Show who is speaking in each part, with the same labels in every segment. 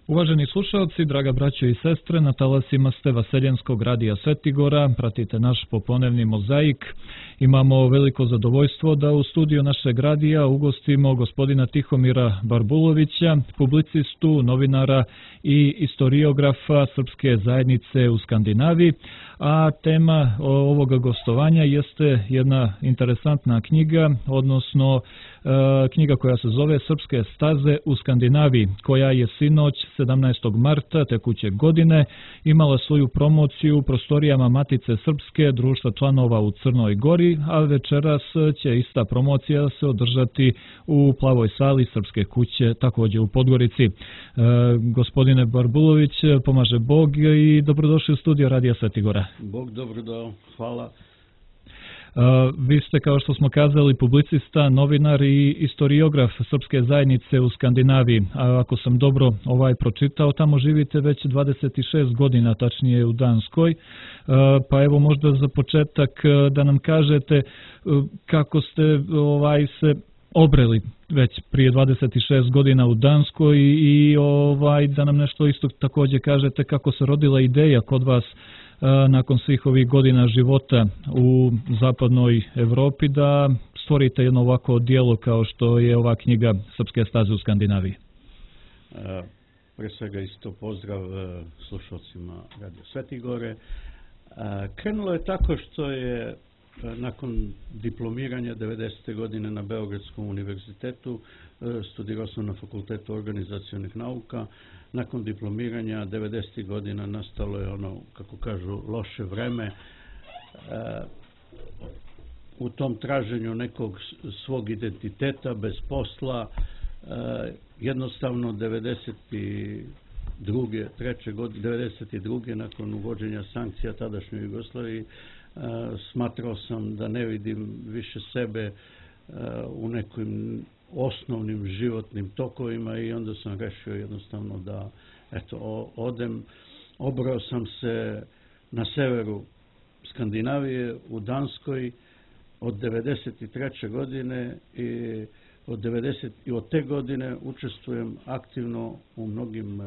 Speaker 1: Uvaženi slušalci, draga braćo i sestre, na talasima ste Vaseljenskog radija Svetigora, pratite naš popodnevni mozaik. Imamo veliko zadovoljstvo da u studiju našeg radija ugostimo gospodina Tihomira Barbulovića, publicistu, novinara i istoriografa Srpske zajednice u Skandinaviji. A tema ovoga gostovanja jeste jedna interesantna knjiga, odnosno knjiga koja se zove Srpske staze u Skandinaviji, koja je sinoć 17. marta tekuće godine imala svoju promociju u prostorijama Matice Srpske, društva članova u Crnoj Gori, a večeras će ista promocija se održati u Plavoj sali Srpske kuće, također u Podgorici. Gospodine Barbulović, pomaže Bog i dobrodošli u studio Radija Svetigora.
Speaker 2: Bog dobrodošao, hvala.
Speaker 1: Vi ste, kao što smo kazali, publicista, novinar i istoriograf Srpske zajednice u Skandinaviji. A ako sam dobro pročitao, tamo živite već 26 godina, tačnije u Danskoj. Pa evo možda za početak da nam kažete kako ste se obreli već prije 26 godina u Danskoj i da nam nešto isto također kažete kako se rodila ideja kod vas nakon svih ovih godina života u zapadnoj Evropi da stvorite jedno ovako djelo kao što je ova knjiga Srpske staze u Skandinaviji.
Speaker 2: Pre svega isto pozdrav slušalcima Radio Svetigore. Krenulo je tako što je nakon diplomiranja 90. godine na Beogradskom univerzitetu, studirao sam na Fakultetu organizacionih nauka. Nakon diplomiranja 90. godina nastalo je ono, kako kažu, loše vreme. U tom traženju nekog svog identiteta, bez posla, jednostavno 92. nakon uvođenja sankcija tadašnjoj Jugoslaviji, smatrao sam da ne vidim više sebe u nekim osnovnim životnim tokovima i onda sam rešio jednostavno da odem. Obrao sam se na severu Skandinavije u Danskoj od 93. godine i od te godine učestvujem aktivno u mnogim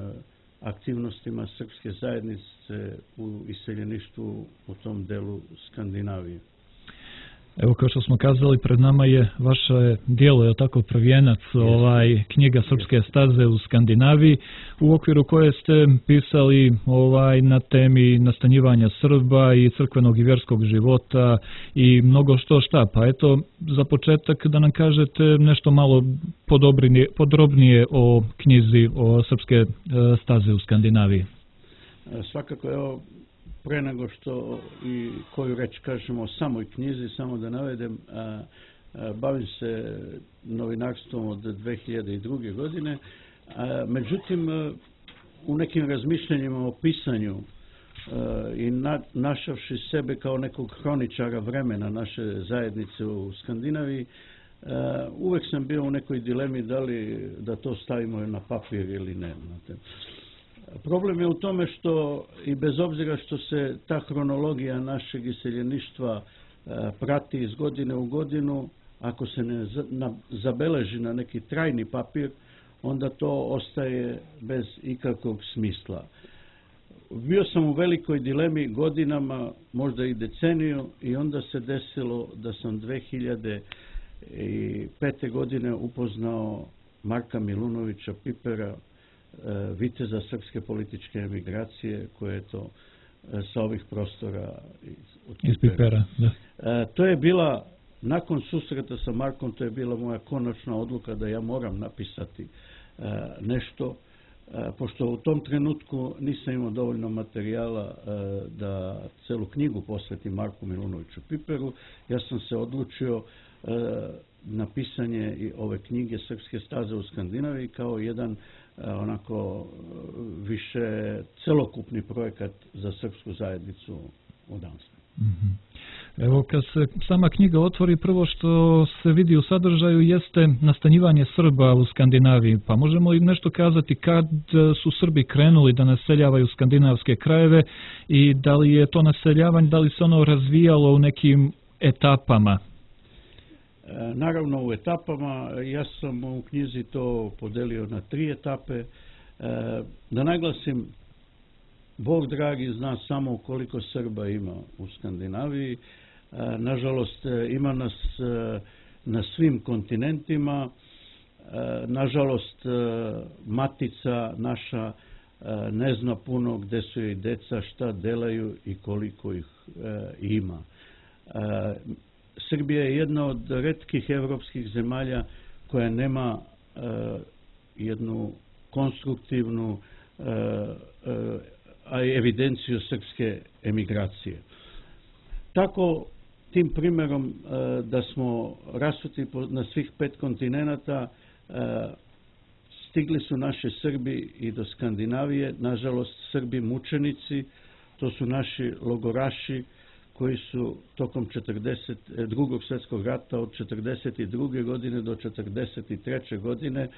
Speaker 2: aktivnostima Srpske zajednice u iseljeništvu u tom delu Skandinavije.
Speaker 1: Evo, kao što smo kazali, pred nama je vaše djelo, je tako, prvijenac, knjiga Srpske staze u Skandinaviji, u okviru koje ste pisali na temi nastanjivanja Srba i crkvenog i vjerskog života i mnogo šta. Pa eto, za početak da nam kažete nešto malo podrobnije o knjizi o Srpske staze u Skandinaviji.
Speaker 2: Svakako, evo, pre nego što i koju reč kažemo o samoj knjizi, samo da navedem, bavim se novinarstvom od 2002. godine, međutim, u nekim razmišljanjima o pisanju i našavši sebe kao nekog hroničara vremena naše zajednice u Skandinaviji, uvek sam bio u nekoj dilemi da li da to stavimo na papir ili ne. Problem je u tome što i bez obzira što se ta hronologija našeg iseljeništva prati iz godine u godinu, ako se ne zabeleži na neki trajni papir, onda to ostaje bez ikakvog smisla. Bio sam u velikoj dilemi godinama, možda i deceniju, i onda se desilo da sam 2005. godine upoznao Marka Milunovića Pipera, viteza srpske političke emigracije, koje je to sa ovih prostora
Speaker 1: iz Pipera. Da.
Speaker 2: To je bila, nakon susreta sa Markom, to je bila moja konačna odluka da ja moram napisati nešto, pošto u tom trenutku nisam imao dovoljno materijala da celu knjigu posvetim Marku Milunoviću Piperu. Ja sam se odlučio na pisanje i ove knjige Srpske staze u Skandinaviji kao jedan onako više celokupni projekat za srpsku zajednicu u Danskoj.
Speaker 1: Evo, kad se sama knjiga otvori, prvo što se vidi u sadržaju jeste nastanjivanje Srba u Skandinaviji. Pa možemo im nešto kazati kad su Srbi krenuli da naseljavaju skandinavske krajeve i da li je to naseljavanje, da li se ono razvijalo u nekim etapama?
Speaker 2: Naravno u etapama. Ja sam u knjizi to podelio na 3 etape. Da naglasim, Bog dragi zna samo koliko Srba ima u Skandinaviji. Nažalost, ima nas na svim kontinentima. Nažalost, matica naša ne zna puno gde su joj deca, šta delaju i koliko ih ima. Srbija je jedna od retkih evropskih zemalja koja nema jednu konstruktivnu evidenciju srpske emigracije. Tako, tim primerom da smo rasuti na svih 5 kontinenata, stigli su naši Srbi i do Skandinavije, nažalost Srbi mučenici, to su naši logoraši koji su tokom Drugog svjetskog rata od 1942. godine do 1943. godine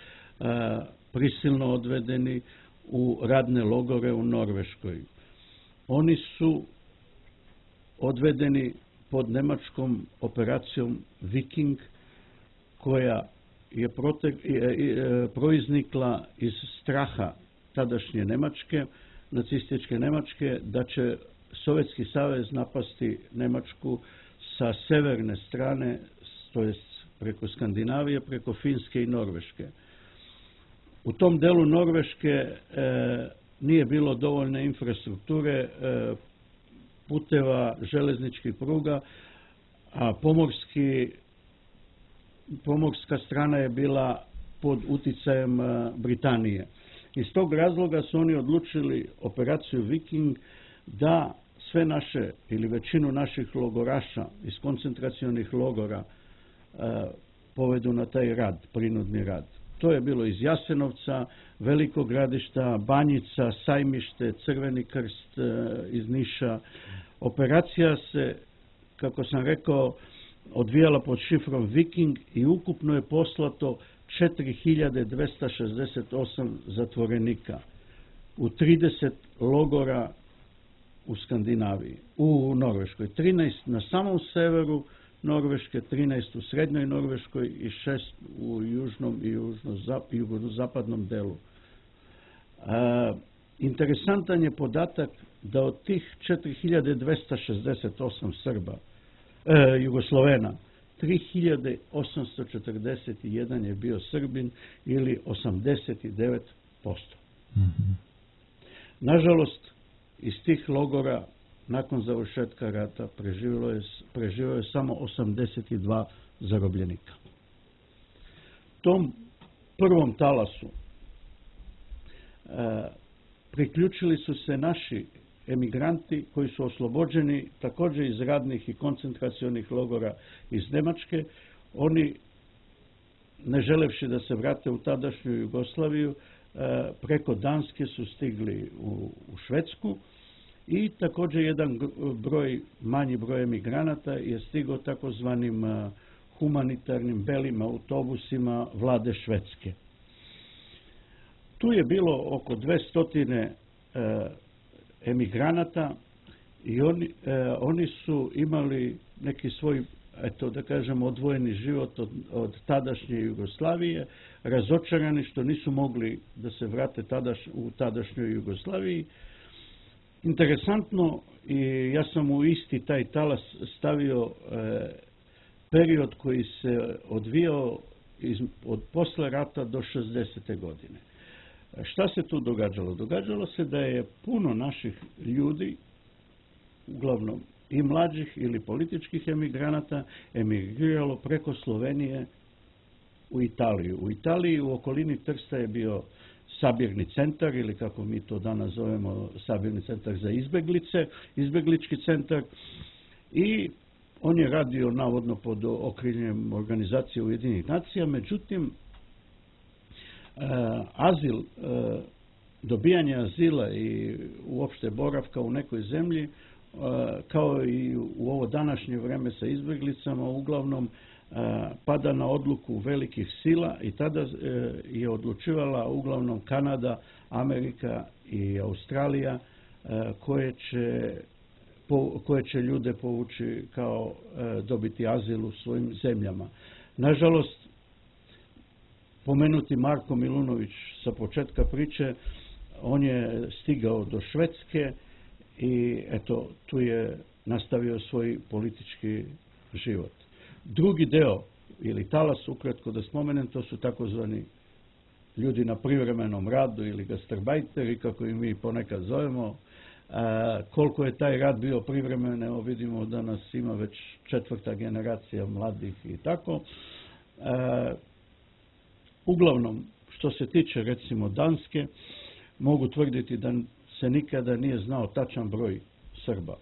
Speaker 2: prisilno odvedeni u radne logore u Norveškoj. Oni su odvedeni pod nemačkom operacijom Viking, koja je proiznikla iz straha tadašnje Nemačke, nacističke Nemačke, da će Sovjetski savez napasti Nemačku sa severne strane, to jest preko Skandinavije, preko Finske i Norveške. U tom delu Norveške nije bilo dovoljne infrastrukture, puteva, železničkih pruga, a pomorska strana je bila pod uticajem Britanije. Iz tog razloga su oni odlučili operaciju Viking da sve naše ili većinu naših logoraša iz koncentracionih logora povedu na taj rad, prinudni rad. To je bilo iz Jasenovca, Velikog Gradišta, Banjica, Sajmište, Crveni krst iz Niša. Operacija se, kako sam rekao, odvijala pod šifrom Viking i ukupno je poslato 4268 zatvorenika u 30 logora u Skandinaviji, u Norveškoj. 13 na samom severu Norveške, 13 u srednjoj Norveškoj i 6 u južnom i jugozapadnom delu. Interesantan je podatak da od tih 4268 Srba, Jugoslovena, 3841 je bio Srbin ili 89%. Nažalost, iz tih logora nakon završetka rata preživio je samo 82 zarobljenika. Tom prvom talasu priključili su se naši emigranti koji su oslobođeni također iz radnih i koncentracionih logora iz Nemačke. Oni, ne želevši da se vrate u tadašnju Jugoslaviju, preko Danske su stigli u Švedsku i također jedan manji broj emigranata je stigao takozvanim humanitarnim belim autobusima vlade Švedske. Tu je bilo oko 200 emigranata i oni su imali neki svoj, eto da kažem, odvojeni život od tadašnje Jugoslavije, razočarani što nisu mogli da se vrate u tadašnjoj Jugoslaviji. Interesantno, i ja sam u isti taj talas stavio period koji se odvijao od posle rata do 60. godine. Šta se tu događalo? Događalo se da je puno naših ljudi, uglavnom i mlađih ili političkih emigranata, emigriralo preko Slovenije u Italiju. U Italiji u okolini Trsta je bio sabirni centar, ili kako mi to danas zovemo sabirni centar za izbeglice, izbeglički centar, i on je radio navodno pod okriljem organizacije Ujedinjenih nacija, međutim azil, dobijanje azila i uopšte boravka u nekoj zemlji, kao i u ovo današnje vreme sa izbeglicama, uglavnom pada na odluku velikih sila i tada je odlučivala uglavnom Kanada, Amerika i Australija koje će ljude povući kao dobiti azil u svojim zemljama. Nažalost, pomenuti Marko Milunović sa početka priče, on je stigao do Švedske i eto, tu je nastavio svoj politički život. Drugi deo, ili talas, ukratko da spomenem, to su takozvani ljudi na privremenom radu ili gastarbajteri, kako i mi ponekad zovemo. Koliko je taj rad bio privremen, evo vidimo da nas ima već 4. generacija mladih i tako. Uglavnom, što se tiče recimo Danske, mogu tvrditi da se nikada nije znao tačan broj Srba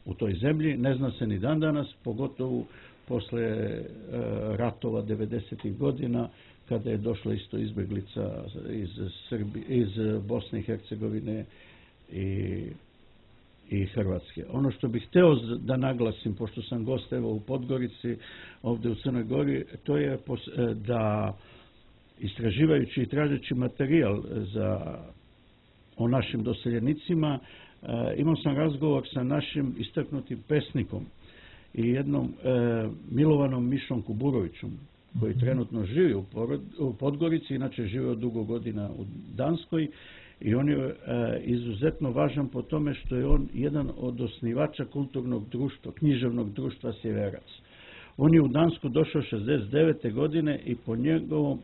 Speaker 2: u toj zemlji, ne zna se ni dan danas, pogotovo posle ratova 90. godina, kada je došla isto izbeglica iz Bosne i Hercegovine i Hrvatske. Ono što bih hteo da naglasim, pošto sam gost evo u Podgorici, ovde u Crnoj Gori, to je da istraživajući i tražeći materijal o našim doseljenicima, imao sam razgovor sa našim istaknutim pesnikom i jednom Milovanom Mišom Kuburovićom, koji trenutno živi u Podgorici, inače živeo dugo godina u Danskoj, i on je izuzetno važan po tome što je on jedan od osnivača kulturnog društva, književnog društva Sjeverac. On je u Dansku došao 69. godine i po njegovom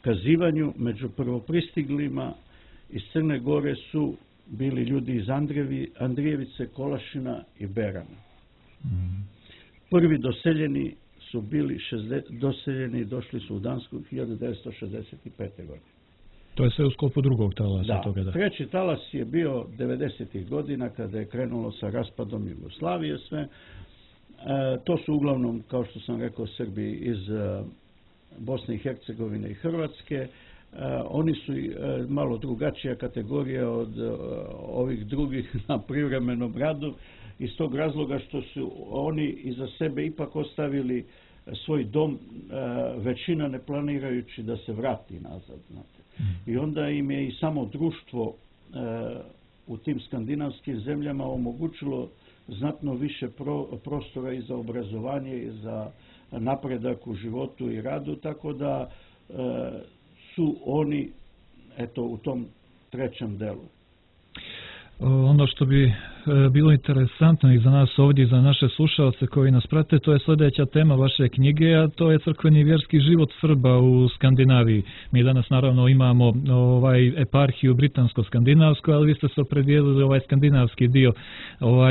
Speaker 2: kazivanju među prvopristiglima iz Crne Gore su bili ljudi iz Andrijevice, Kolašina i Berana. Prvi doseljeni su bili doseljeni i došli su u Dansku 1965. godine.
Speaker 1: To je sve u sklopu drugog talasa toga, da.
Speaker 2: Treći talas je bio 90. godina kada je krenulo sa raspadom Jugoslavije sve. To su uglavnom, kao što sam rekao, Srbi iz Bosne i Hercegovine i Hrvatske. Oni su malo drugačija kategorija od ovih drugih na privremenom radu, iz tog razloga što su oni iza sebe ipak ostavili svoj dom, većina ne planirajući da se vrati nazad. Znate. I onda im je i samo društvo u tim skandinavskim zemljama omogućilo znatno više prostora i za obrazovanje i za napredak u životu i radu, tako da su oni eto u tom trećem delu.
Speaker 1: Ono što bi bilo interesantno i za nas ovdje i za naše slušalce koji nas prate, to je sljedeća tema vaše knjige, a to je crkveni i vjerski život Srba u Skandinaviji. Mi danas naravno imamo eparhiju britansko-skandinavsku, ali vi ste se opredijelili ovaj skandinavski dio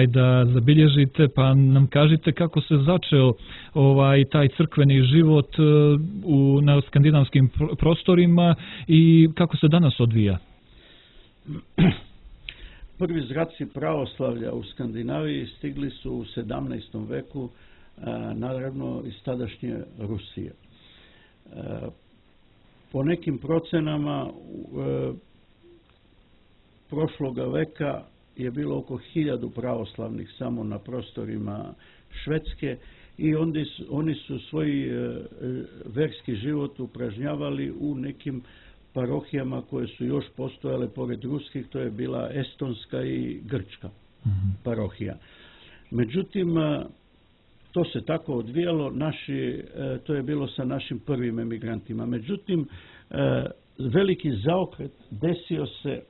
Speaker 1: da zabilježite, pa nam kažite kako se začeo taj crkveni život na skandinavskim prostorima i kako se danas odvija.
Speaker 2: Prvi zraci pravoslavlja u Skandinaviji stigli su u 17. veku, naravno iz tadašnje Rusije. Po nekim procenama prošloga veka je bilo oko 1000 pravoslavnih samo na prostorima Švedske i oni su svoj verski život upražnjavali u nekim parohijama koje su još postojale pored ruskih, to je bila estonska i grčka parohija. Međutim, to se tako odvijalo, to je bilo sa našim prvim emigrantima. Međutim, veliki zaokret desio se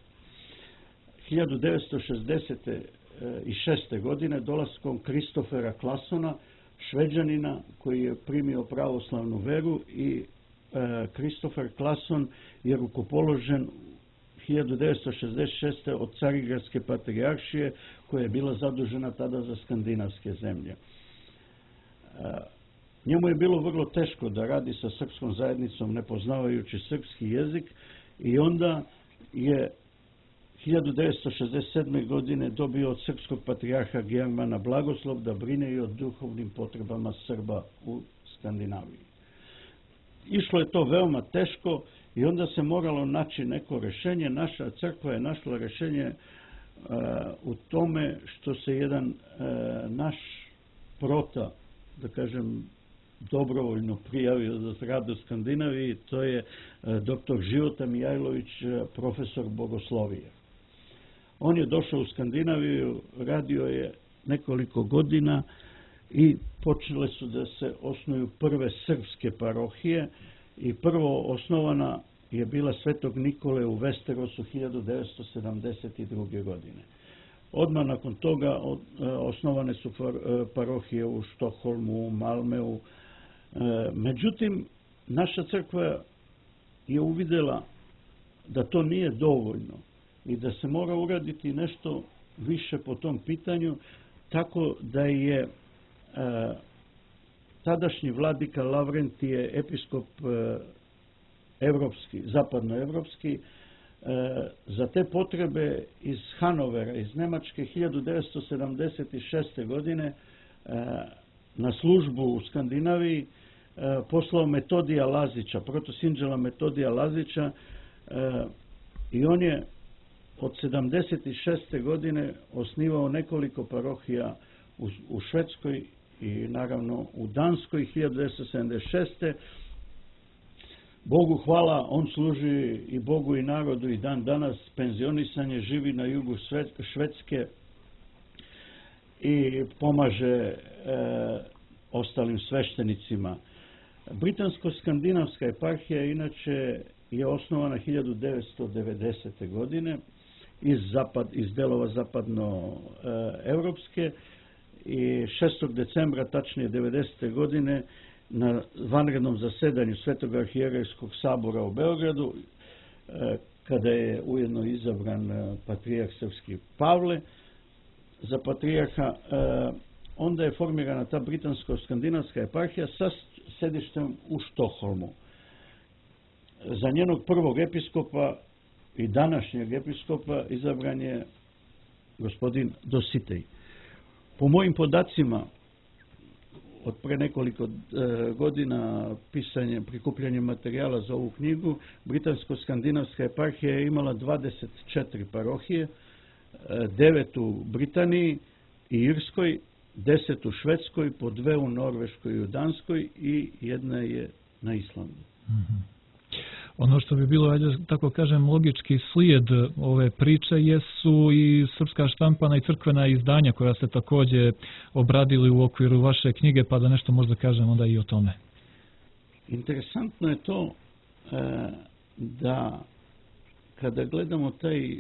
Speaker 2: 1966. godine dolaskom Kristofera Claessona, Šveđanina koji je primio pravoslavnu veru, i Kristofer Claesson je rukopoložen 1966. od Carigradske patrijaršije koja je bila zadužena tada za skandinavske zemlje. Njemu je bilo vrlo teško da radi sa srpskom zajednicom ne poznavajući srpski jezik i onda je 1967. godine dobio od srpskog patrijarha Germana blagoslov da brine i o duhovnim potrebama Srba u Skandinaviji. Išlo je to veoma teško i onda se moralo naći neko rješenje. Naša crkva je našla rješenje u tome što se jedan naš prota, da kažem, dobrovoljno prijavio za rad u Skandinaviji, to je dr. Života Mijajlović, profesor bogoslovije. On je došao u Skandinaviju, radio je nekoliko godina i počele su da se osnuju prve srpske parohije i prvo osnovana je bila Svetog Nikole u Westerosu 1972. godine. Odmah nakon toga osnovane su parohije u Štokholmu, u Malmeu. Međutim, naša crkva je uvidjela da to nije dovoljno i da se mora uraditi nešto više po tom pitanju, tako da je tadašnji vladika Lavrentije, episkop evropski, zapadnoevropski, za te potrebe iz Hanovera, iz Nemačke 1976. godine na službu u Skandinaviji poslao Metodija Lazića, protosinđela Metodija Lazića, i on je od 76. godine osnivao nekoliko parohija u Švedskoj i naravno u Danskoj 1976. Bogu hvala, on služi i Bogu i narodu i dan danas, penzionisan je, živi na jugu Švedske i pomaže ostalim sveštenicima. Britansko-skandinavska eparhija inače je osnovana 1990. godine iz delova zapadnoevropske i 6. decembra, tačnije 90. godine, na vanrednom zasedanju Svetog arhijerejskog sabora u Beogradu, kada je ujedno izabran patrijarh srpski Pavle za patrijarha, onda je formirana ta britansko-skandinavska eparhija sa sedištem u Štokholmu. Za njenog prvog episkopa i današnjeg episkopa izabran je gospodin Dositej. Po mojim podacima, od pre nekoliko godina prikupljanje materijala za ovu knjigu, Britansko-skandinavska eparhija je imala 24 parohije, 9 u Britaniji i Irskoj, 10 u Švedskoj, po 2 u Norveškoj i u Danskoj i 1 je na Islandu.
Speaker 1: Ono što bi bilo, ajde tako kažem, logički slijed ove priče jesu i srpska štampana i crkvena izdanja koja ste također obradili u okviru vaše knjige, pa da nešto možda kažem onda i o tome.
Speaker 2: Interesantno je to da kada gledamo taj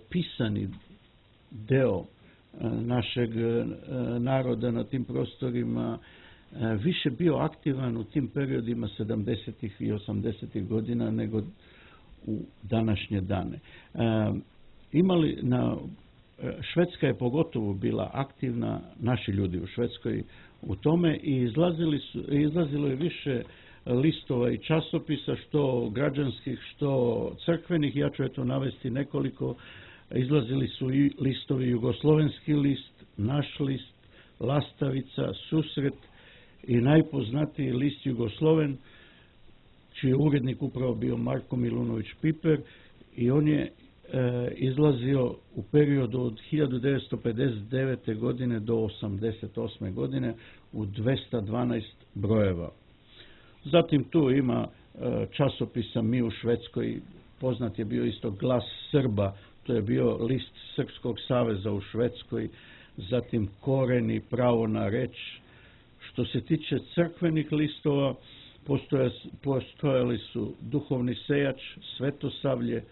Speaker 2: pisani deo našeg naroda na tim prostorima, više bio aktivan u tim periodima 70. i 80. godina nego u današnje dane. Švedska je pogotovo bila aktivna, naši ljudi u Švedskoj u tome, i izlazilo je više listova i časopisa, što građanskih, što crkvenih. Ja ću eto navesti nekoliko. Izlazili su i listovi Jugoslovenski list, Naš list, Lastavica, Susret i najpoznatiji list Jugosloven, čiji je urednik upravo bio Marko Milunović Piper, i on je izlazio u periodu od 1959. godine do 1988. godine u 212 brojeva. Zatim tu ima časopisa Mi u Švedskoj, poznat je bio isto Glas Srba, to je bio list Srpskog saveza u Švedskoj, zatim Koreni, Pravo na reč. Što se tiče crkvenih listova, postojali su Duhovni sejač, Svetosavlje,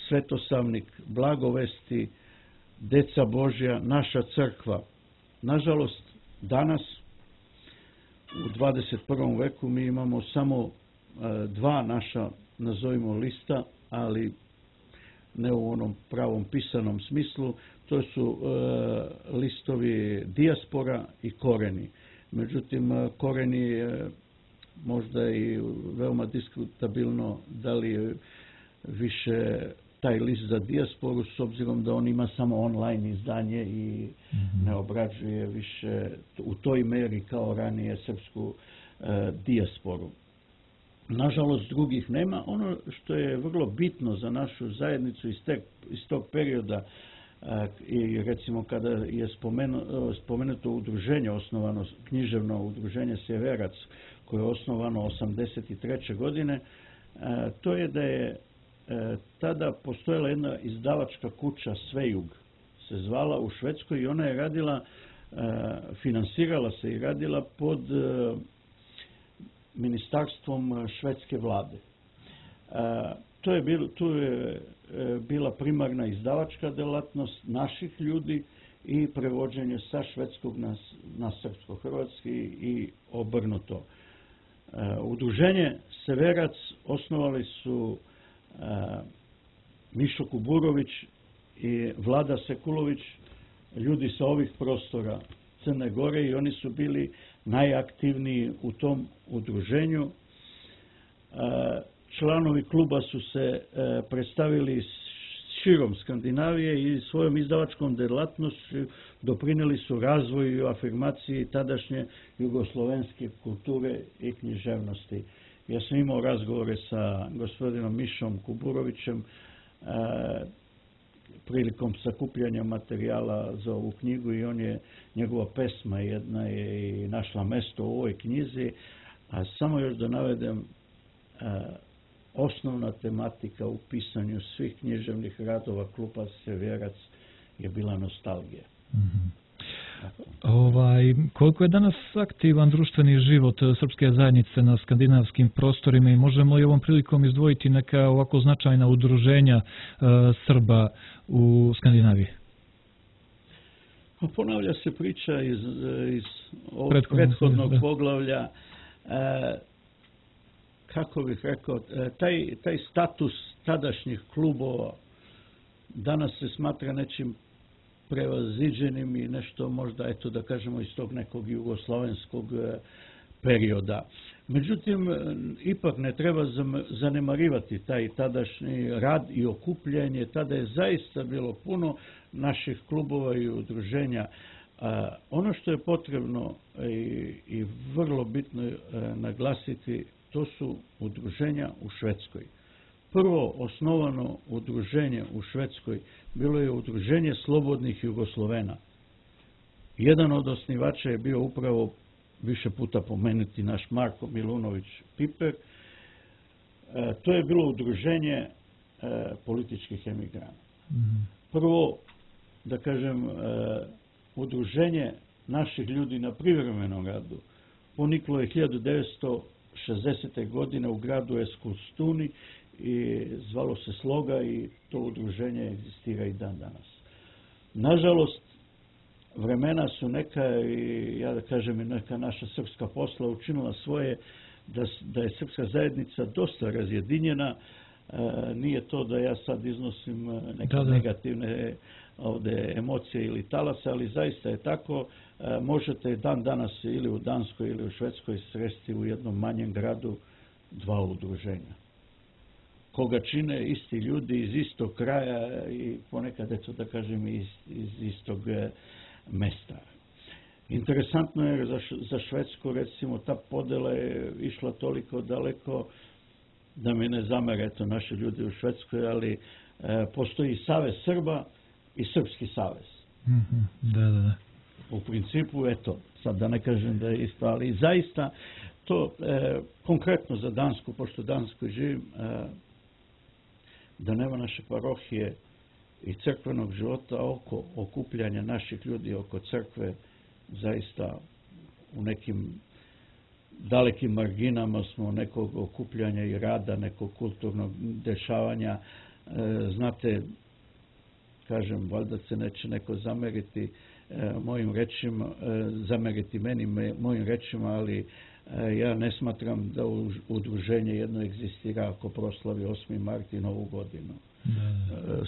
Speaker 2: Svetosavnik, Blagovesti, Deca Božja, Naša crkva. Nažalost, danas u 21. veku mi imamo samo 2 naša, nazovimo, lista, ali ne u onom pravom pisanom smislu. To su listovi Dijaspora i Koreni. Međutim, Koreni je možda i veoma diskutabilno da li je više taj list za dijasporu, s obzirom da on ima samo online izdanje i ne obrađuje više u toj meri kao ranije srpsku dijasporu. Nažalost, drugih nema. Ono što je vrlo bitno za našu zajednicu iz tog perioda, i recimo kada je spomenuto udruženje, osnovano književno udruženje Sjeverac, koje je osnovano 1983. godine, to je da je tada postojala jedna izdavačka kuća Svejug, se zvala, u Švedskoj, i ona je radila, finansirala se i radila pod ministarstvom švedske vlade. Tu je bila primarna izdavačka delatnost naših ljudi i prevođenje sa švedskog na srpsko-hrvatski i obrnuto. Udruženje Severac osnovali su Mišo Kuburović i Vlada Sekulović, ljudi sa ovih prostora Crne Gore, i oni su bili najaktivniji u tom udruženju. Članovi kluba su se predstavili širom Skandinavije i svojom izdavačkom delatnošću doprinijeli su razvoju i afirmaciji tadašnje jugoslovenske kulture i književnosti. Ja sam imao razgovore sa gospodinom Mišom Kuburovićem prilikom sakupljanja materijala za ovu knjigu i njegova pesma jedna je i našla mesto u ovoj knjizi, a samo još da navedem, osnovna tematika u pisanju svih književnih radova kluba Severac je bila nostalgija.
Speaker 1: Koliko je danas aktivan društveni život srpske zajednice na skandinavskim prostorima i možemo li ovom prilikom izdvojiti neka ovako značajna udruženja Srba u Skandinaviji?
Speaker 2: Ponavlja se priča iz ovog prethodnog poglavlja. Kako bih rekao, taj status tadašnjih klubova danas se smatra nečim prevaziđenim i nešto možda, eto da kažemo, iz tog nekog jugoslovenskog perioda. Međutim, ipak ne treba zanemarivati taj tadašnji rad i okupljanje. Tada je zaista bilo puno naših klubova i udruženja. Ono što je potrebno i vrlo bitno naglasiti, to su udruženja u Švedskoj. Prvo osnovano udruženje u Švedskoj bilo je udruženje slobodnih Jugoslovena. Jedan od osnivača je bio upravo više puta pomenuti naš Marko Milunović Piper. To je bilo udruženje političkih emigranata. Prvo, da kažem, udruženje naših ljudi na privremenom radu poniklo je 1960. godine u gradu Eskilstuni i zvalo se Sloga i to udruženje egzistira i dan danas. Nažalost, vremena su neka i ja da kažem i neka naša srpska posla učinila svoje da je srpska zajednica dosta razjedinjena. Nije to da ja sad iznosim neke negativne ovde emocije ili talase, ali zaista je tako. Možete dan danas ili u Danskoj ili u Švedskoj sresti u jednom manjem gradu dva udruženja, koga čine isti ljudi iz istog kraja i ponekad, eto da kažem, iz istog mesta. Interesantno je za Švedsku, recimo, ta podela je išla toliko daleko da mi ne zamere, eto, naši ljudi u Švedskoj, ali postoji Savez Srba i Srpski savez.
Speaker 1: Da.
Speaker 2: U principu, eto, sad da ne kažem da je isto, ali zaista to konkretno za Dansku, pošto u Danskoj živim, da nema naše parohije i crkvenog života oko okupljanja naših ljudi oko crkve, zaista u nekim dalekim marginama smo nekog okupljanja i rada, nekog kulturnog dešavanja. Znate, kažem, valjda se neće neko zameriti mojim rečima, zameriti meni mojim rečima, ali ja ne smatram da udruženje jedno egzistira ako proslavi 8. mart i Novu godinu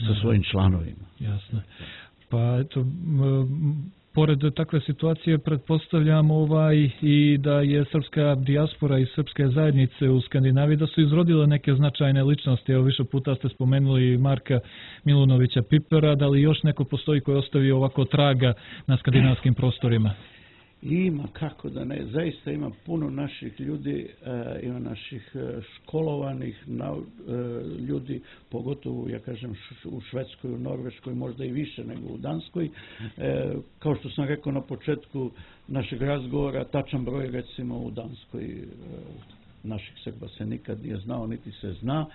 Speaker 2: sa svojim članovima.
Speaker 1: Jasno. Pa eto, pored takve situacije pretpostavljamo i da je srpska dijaspora i srpske zajednice u Skandinaviji da su izrodile neke značajne ličnosti. Evo, više puta ste spomenuli Marka Milunovića Pipera, da li još neko postoji koji je ostavio ovako traga na skandinavskim prostorima?
Speaker 2: Ima, kako da ne. Zaista ima puno naših ljudi, ima naših školovanih ljudi, pogotovo, ja kažem, u Švedskoj, u Norveškoj, možda i više nego u Danskoj. Kao što sam rekao na početku našeg razgovora, tačan broj, recimo, u Danskoj naših Srba se nikad nije znao, niti se zna,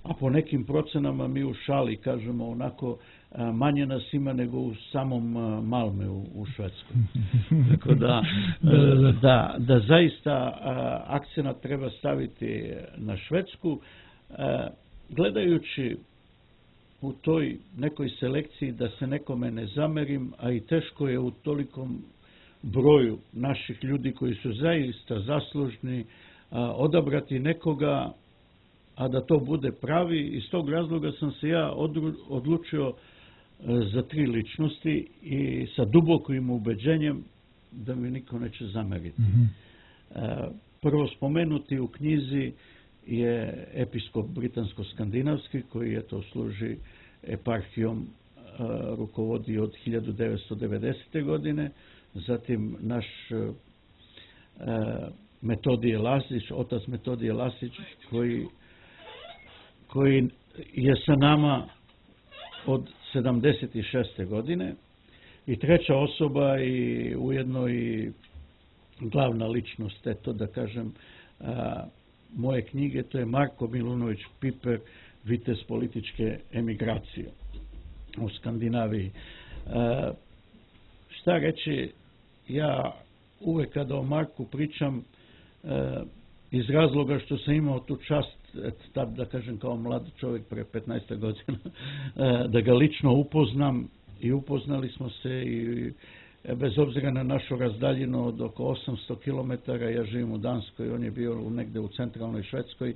Speaker 2: a po nekim procenama mi u šali kažemo onako manje nas ima nego u samom Malmeu u Švedskoj. Tako da zaista akcenat treba staviti na Švedsku, gledajući u toj nekoj selekciji da se nekome ne zamerim, a i teško je u tolikom broju naših ljudi koji su zaista zaslužni odabrati nekoga, a da to bude pravi. Iz tog razloga sam se ja odlučio za 3 ličnosti i sa dubokim ubeđenjem da mi niko neće zameriti. Prvo spomenuti u knjizi je episkop britansko-skandinavski koji je to služi eparhijom, rukovodi od 1990. godine. Zatim naš Metodije Lasić, otac Metodije Lasić koji je sa nama od 76. godine. I treća osoba i ujedno i glavna ličnost, eto da kažem, moje knjige, to je Marko Milunović Piper, vitez političke emigracije u Skandinaviji. Šta reći, ja uvek kada o Marku pričam, iz razloga što sam imao tu čast, tad da kažem kao mlad čovjek pre 15 godina, da ga lično upoznam i upoznali smo se i bez obzira na našu razdaljinu od oko 800 km, ja živim u Danskoj, on je bio negde u centralnoj Švedskoj,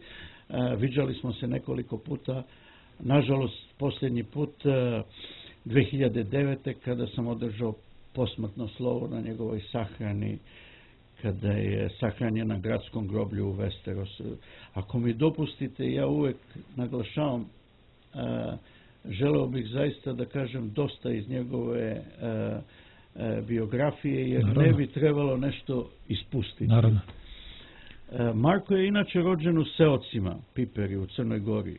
Speaker 2: viđali smo se nekoliko puta, nažalost posljednji put 2009. kada sam održao posmrtno slovo na njegovoj sahrani, kada je sahranjen na gradskom groblju u Westerosu. Ako mi dopustite, ja uvek naglašavam, želeo bih zaista da kažem dosta iz njegove biografije, jer ne bi trebalo nešto ispustiti.
Speaker 1: Naravno.
Speaker 2: Marko je inače rođen u Seocima, Piperi, u Crnoj Gori.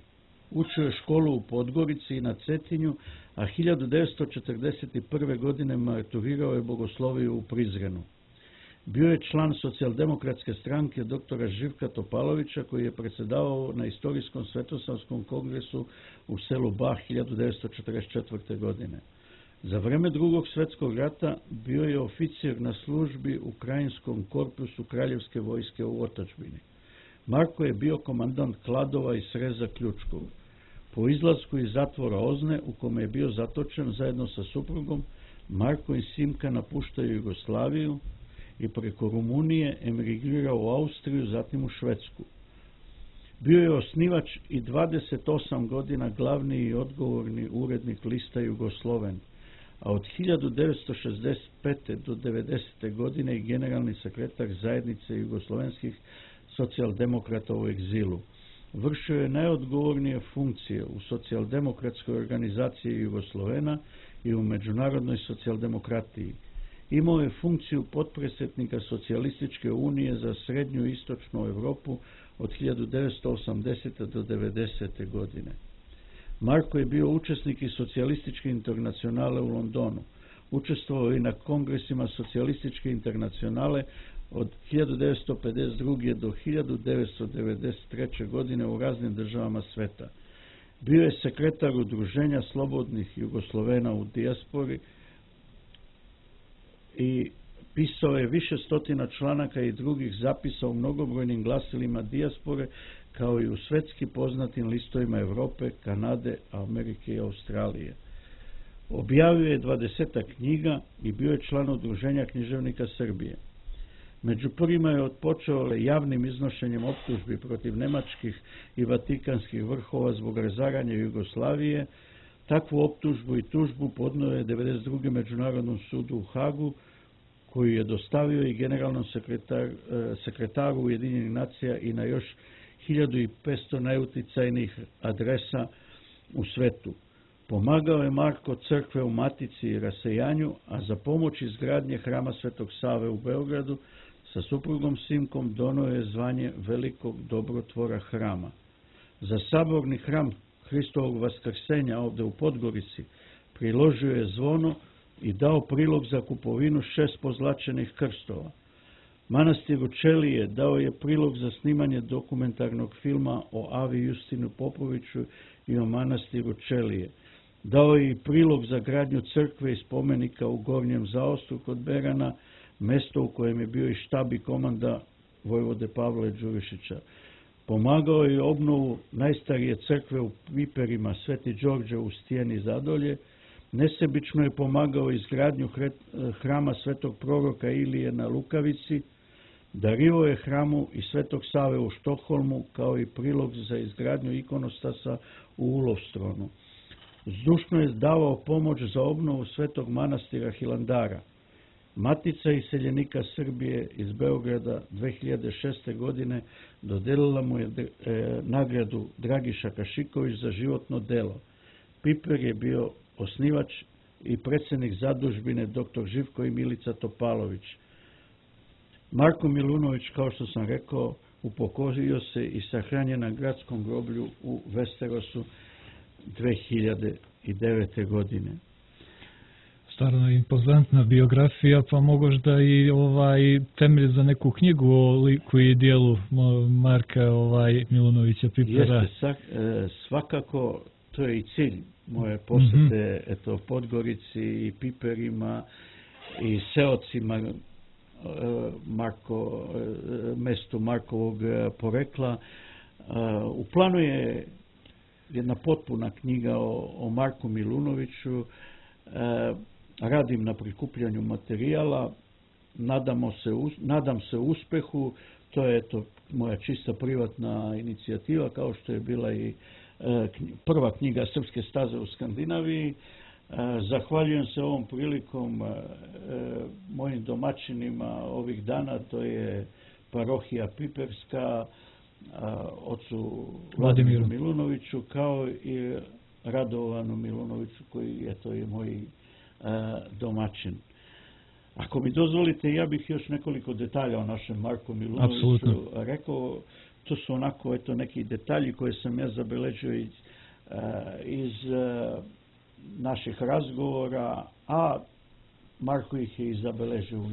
Speaker 2: Učio je školu u Podgorici i na Cetinju, a 1941. godine maturirao je bogosloviju u Prizrenu. Bio je član socijaldemokratske stranke doktora Živka Topalovića, koji je predsjedavao na istorijskom svetosavskom kongresu u selu Bah 1944. godine. Za vreme Drugog svjetskog rata bio je oficir na službi u krajinskom korpusu Kraljevske vojske u otadžbini. Marko je bio komandant Kladova i Sreza Ključkog. Po izlasku iz zatvora Ozne, u kome je bio zatočen zajedno sa suprugom, Marko i Simka napuštaju Jugoslaviju i preko Rumunije emigrirao u Austriju, zatim u Švedsku. Bio je osnivač i 28 godina glavni i odgovorni urednik lista Jugosloven, a od 1965. do 90. godine i generalni sekretar zajednice jugoslovenskih socijaldemokrata u egzilu. Vršio je najodgovornije funkcije u socijaldemokratskoj organizaciji Jugoslovena i u međunarodnoj socijaldemokratiji. Imao je funkciju potpredsjednika Socijalističke unije za srednju i istočnu Europu od 1980. do 90. godine. Marko je bio učesnik i socijalističke internacionale u Londonu. Učestvovao i na kongresima socijalističke internacionale od 1952. do 1993. godine u raznim državama sveta. Bio je sekretar Udruženja slobodnih Jugoslovena u dijaspori i pisao je više stotina članaka i drugih zapisa u mnogobrojnim glasilima dijaspore, kao i u svetski poznatim listovima Europe, Kanade, Amerike i Australije. Objavio je 20 knjiga i bio je član Udruženja književnika Srbije. Među prvima je otpočeo javnim iznošenjem optužbi protiv nemačkih i vatikanskih vrhova zbog razaranja Jugoslavije. Takvu optužbu i tužbu podnio je 1992. Međunarodnom sudu u Hagu, koju je dostavio i generalnom sekretaru Ujedinjenih nacija i na još 1500 najuticajnijih adresa u svetu. Pomagao je Marko crkve u Matici i rasejanju, a za pomoć izgradnje hrama Svetog Save u Beogradu sa suprugom Simkom donio je zvanje velikog dobrotvora hrama. Za saborni hram Hristovog vaskrsenja ovde u Podgorici priložio je zvono i dao prilog za kupovinu 6 pozlačenih krstova. Manastiru Čelije dao je prilog za snimanje dokumentarnog filma o Avi Justinu Popoviću i o manastiru Čelije. Dao je i prilog za gradnju crkve i spomenika u Gornjem Zaostru kod Berana, mesto u kojem je bio i štab i komanda vojvode Pavla Đurišića. Pomagao je obnovu najstarije crkve u Piperima Sveti Đorđe u Stijeni Zadolje. Nesebično je pomagao izgradnju hrama Svetog proroka Ilije na Lukavici. Dario je hramu i Svetog Save u Štokholmu, kao i prilog za izgradnju ikonostasa u Ulovstronu. Zdušno je davao pomoć za obnovu Svetog manastira Hilandara. Matica iseljenika Srbije iz Beograda 2006. godine dodelila mu je nagradu Dragiša Kašiković za životno delo. Piper je bio osnivač i predsjednik zadužbine dr. Živko i Milica Topalović. Marko Milunović, kao što sam rekao, upokojio se i sahranjen na gradskom groblju u Vesterosu 2009. godine.
Speaker 1: Stvarno impozantna biografija, pa možda i temelj za neku knjigu o liku i dijelu Marka Milunovića Pipera.
Speaker 2: Jeste, svakako to je i cilj moje posete Podgorici i Piperima i seocima mestu Markovog porekla. U planu je jedna potpuna knjiga o Marku Milunoviću. Radim na prikupljanju materijala, nadam se uspehu. To je moja čista privatna inicijativa, kao što je bila i prva knjiga Srpske staze u Skandinaviji. Zahvaljujem se ovom prilikom mojim domaćinima ovih dana, to je parohija Piperska, ocu Vladimiru Milunoviću, kao i Radovanu Milunoviću, koji je to i moj domaćin. Ako mi dozvolite, ja bih još nekoliko detalja o našem Marku Milunoviću rekao. To su onako neki detalji koje sam ja zabeležio iz naših razgovora, a Marko ih je i zabeležio u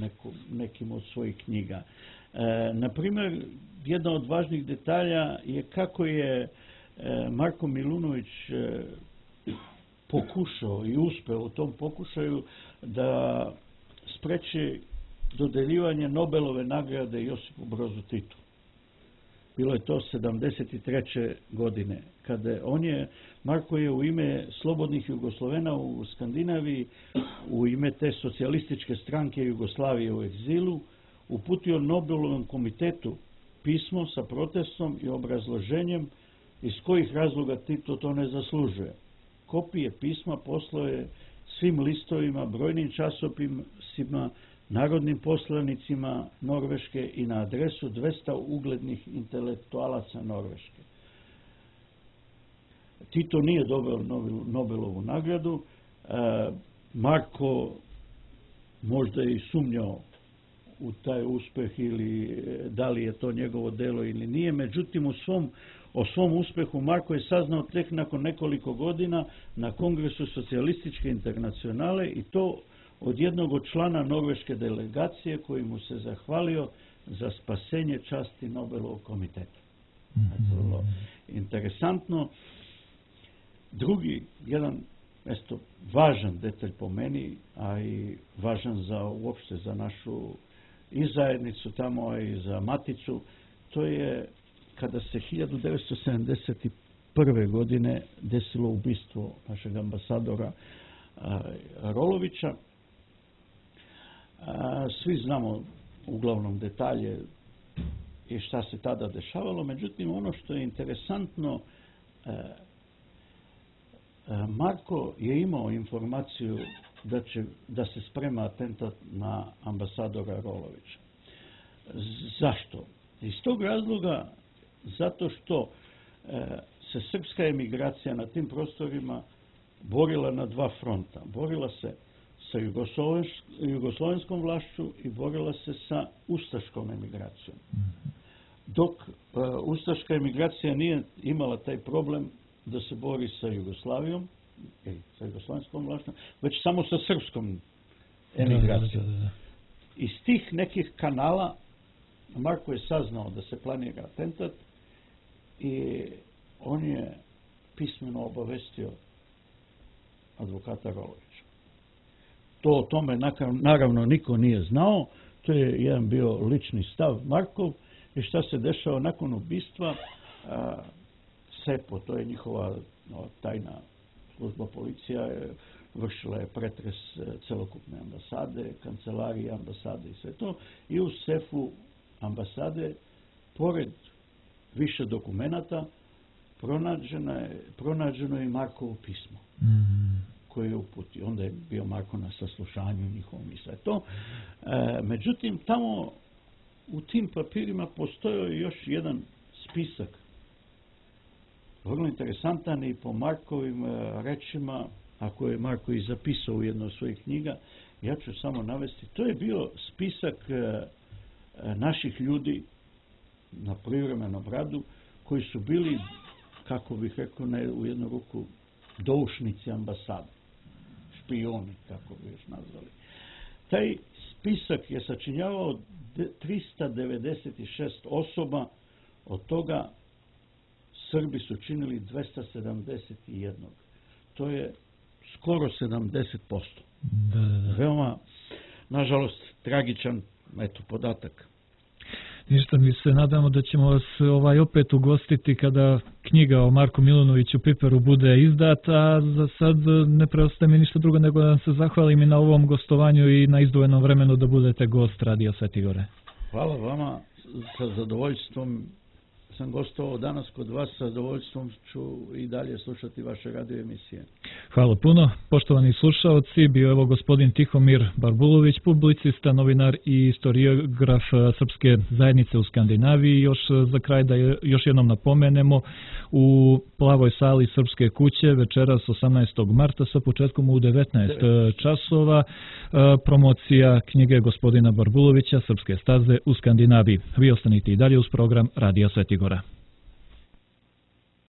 Speaker 2: nekim od svojih knjiga. Naprimjer, jedna od važnih detalja je kako je Marko Milunović pokušao i uspeo u tom pokušaju da spreči dodeljivanje Nobelove nagrade Josipu Brozu Titu. Bilo je to 73. godine, kada Marko je u ime slobodnih Jugoslovena u Skandinaviji, u ime te socijalističke stranke Jugoslavije u egzilu, uputio Nobelovom komitetu pismo sa protestom i obrazloženjem iz kojih razloga Tito to ne zaslužuje. Kopije pisma poslao je svim listovima, brojnim časopisima, narodnim poslanicima Norveške i na adresu 200 uglednih intelektualaca Norveške. Tito nije dobio Nobelovu nagradu. Marko možda i sumnjao u taj uspeh ili da li je to njegovo delo ili nije. Međutim, o svom uspehu Marko je saznao tek nakon nekoliko godina na Kongresu socijalističke internacionale, i to od jednog od člana norveške delegacije koji mu se zahvalio za spasenje časti Nobelovog komiteta. Vrlo interesantno. Drugi, jedan važan detalj po meni, a i važan uopšte za našu i zajednicu tamo, a i za Maticu, to je kada se 1971. godine desilo ubistvo našeg ambasadora Rolovića. Svi znamo uglavnom detalje i šta se tada dešavalo, međutim ono što je interesantno, Marko je imao informaciju da se sprema atentat na ambasadora Rolovića. Zašto? Iz tog razloga, zato što se srpska emigracija na tim prostorima borila na dva fronta. Borila se sa jugoslovenskom vlašću i borila se sa ustaškom emigracijom. Dok ustaška emigracija nije imala taj problem da se bori sa Jugoslavijom, sa jugoslovenskom vlašću, već samo sa srpskom emigracijom. Iz tih nekih kanala Marko je saznao da se planira atentat i on je pismeno obavestio advokata Rolovića. To o tome naravno niko nije znao, to je jedan bio lični stav Markov. I šta se dešava nakon ubistva? SEPO, to je njihova tajna služba, policija, vršila je pretres celokupne ambasade, kancelarije ambasade i sve to. I u sefu ambasade, pored više dokumenata, pronađeno je Markovo pismo koje je uputio. Onda je bio Marko na saslušanju njihovom i sve to. Međutim, tamo u tim papirima postojao je još jedan spisak, vrlo interesantan i po Markovim rečima, ako je Marko i zapisao u jednoj od svojih knjiga, ja ću samo navesti. To je bio spisak naših ljudi na privremenom radu koji su bili, kako bih rekao, u jednu ruku doušnici ambasade, špioni, kako bi još nazvali. Taj spisak je sačinjavao 396 osoba, od toga Srbi su činili 271. To je skoro 70%. Veoma, nažalost, tragičan podatak.
Speaker 1: Ništa, mi se nadamo da ćemo vas opet ugostiti kada knjiga o Marku Milunoviću Piperu bude izdata, a za sad ne preostaje mi ništa drugo nego da vam se zahvalim i na ovom gostovanju i na izdvojenom vremenu da budete gost Radio Sveti Gore.
Speaker 2: Hvala vama, sa zadovoljstvom sam gostovao danas kod vas, sa zadovoljstvom ću i dalje slušati vaše radio emisije.
Speaker 1: Hvala puno. Poštovani slušaoci, bio je ovo gospodin Tihomir Barbulović, publicista, novinar i istoriograf Srpske zajednice u Skandinaviji. Još za kraj da još jednom napomenemo, u Plavoj sali Srpske kuće večeras 18. marta sa početkom u 19 časova promocija knjige gospodina Barbulovića Srpske staze u Skandinaviji. Vi ostanite i dalje uz program Radija Sveti Gora.